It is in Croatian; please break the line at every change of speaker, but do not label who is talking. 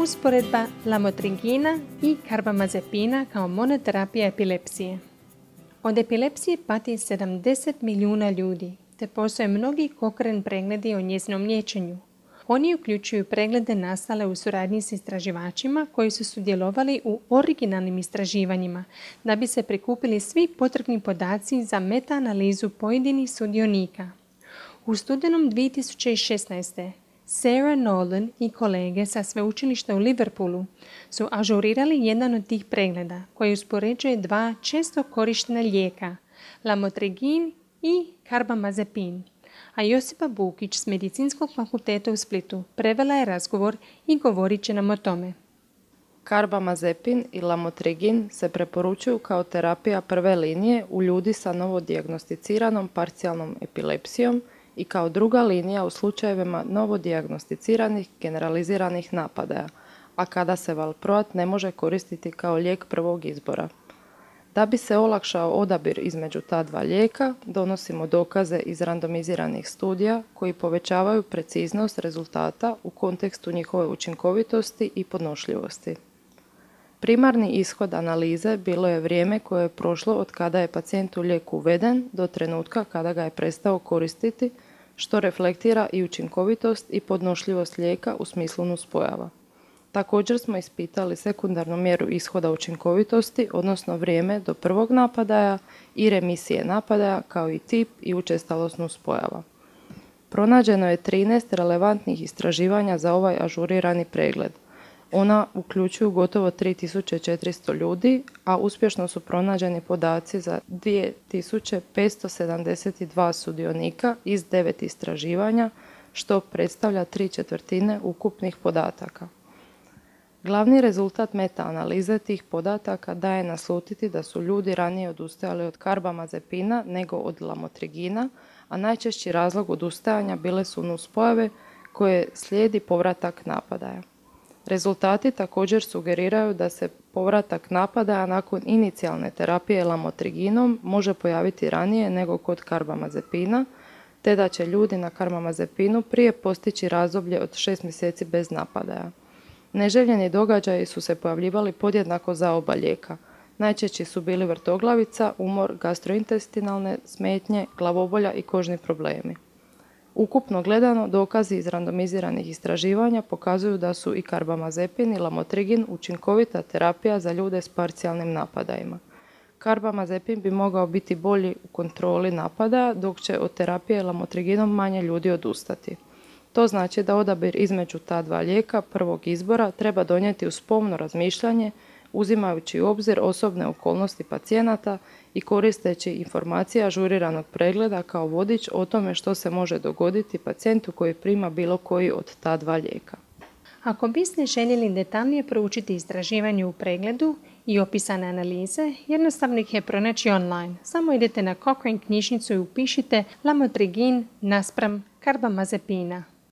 Usporedba lamotrigina i karbamazepina kao monoterapija epilepsije. Od epilepsije pati 70 milijuna ljudi, te postoje mnogi Cochrane pregledi o njezinom liječenju. Oni uključuju preglede nastale u suradnji s istraživačima koji su sudjelovali u originalnim istraživanjima da bi se prikupili svi potrebni podaci za metaanalizu pojedinih sudionika. U studenom 2016. Sarah Nolan i kolege sa sveučilišta u Liverpoolu su ažurirali jedan od tih pregleda koji uspoređuje dva često korištena lijeka, lamotrigin i karbamazepin, a Josipa Bukić s Medicinskog fakulteta u Splitu prevela je razgovor i govorit će nam o tome.
Karbamazepin i lamotrigin se preporučuju kao terapija prve linije u ljudi sa novodijagnosticiranom parcijalnom epilepsijom i kao druga linija u slučajevima novodijagnosticiranih generaliziranih napadaja, a kada se valproat ne može koristiti kao lijek prvog izbora. Da bi se olakšao odabir između ta dva lijeka, donosimo dokaze iz randomiziranih studija koji povećavaju preciznost rezultata u kontekstu njihove učinkovitosti i podnošljivosti. Primarni ishod analize bilo je vrijeme koje je prošlo od kada je pacijentu lijek uveden do trenutka kada ga je prestao koristiti, što reflektira i učinkovitost i podnošljivost lijeka u smislu nuspojava. Također smo ispitali sekundarnu mjeru ishoda učinkovitosti, odnosno vrijeme do prvog napadaja i remisije napadaja, kao i tip i učestalost nuspojava. Pronađeno je 13 relevantnih istraživanja za ovaj ažurirani pregled. Ona uključuju gotovo 3400 ljudi, a uspješno su pronađeni podaci za 2572 sudionika iz 9 istraživanja, što predstavlja 3/4 ukupnih podataka. Glavni rezultat metaanalize tih podataka daje naslutiti da su ljudi ranije odustajali od karbamazepina nego od lamotrigina, a najčešći razlog odustajanja bile su nuspojave koje slijedi povratak napadaja. Rezultati također sugeriraju da se povratak napadaja nakon inicijalne terapije lamotriginom može pojaviti ranije nego kod karbamazepina, te da će ljudi na karbamazepinu prije postići razdoblje od 6 mjeseci bez napadaja. Neželjeni događaji su se pojavljivali podjednako za oba lijeka. Najčešći su bili vrtoglavica, umor, gastrointestinalne smetnje, glavobolja i kožni problemi. Ukupno gledano, dokazi iz randomiziranih istraživanja pokazuju da su i karbamazepin i lamotrigin učinkovita terapija za ljude s parcijalnim napadajima. Karbamazepin bi mogao biti bolji u kontroli napada, dok će od terapije lamotriginom manje ljudi odustati. To znači da odabir između ta dva lijeka prvog izbora treba donijeti uz pomno razmišljanje, uzimajući u obzir osobne okolnosti pacijenata i koristeći informacije ažuriranog pregleda kao vodič o tome što se može dogoditi pacijentu koji prima bilo koji od ta dva lijeka.
Ako biste željeli detaljnije proučiti istraživanje u pregledu i opisane analize, jednostavno ih je pronaći online. Samo idete na Cochrane knjižnicu i upišite lamotrigin naspram karbamazepina.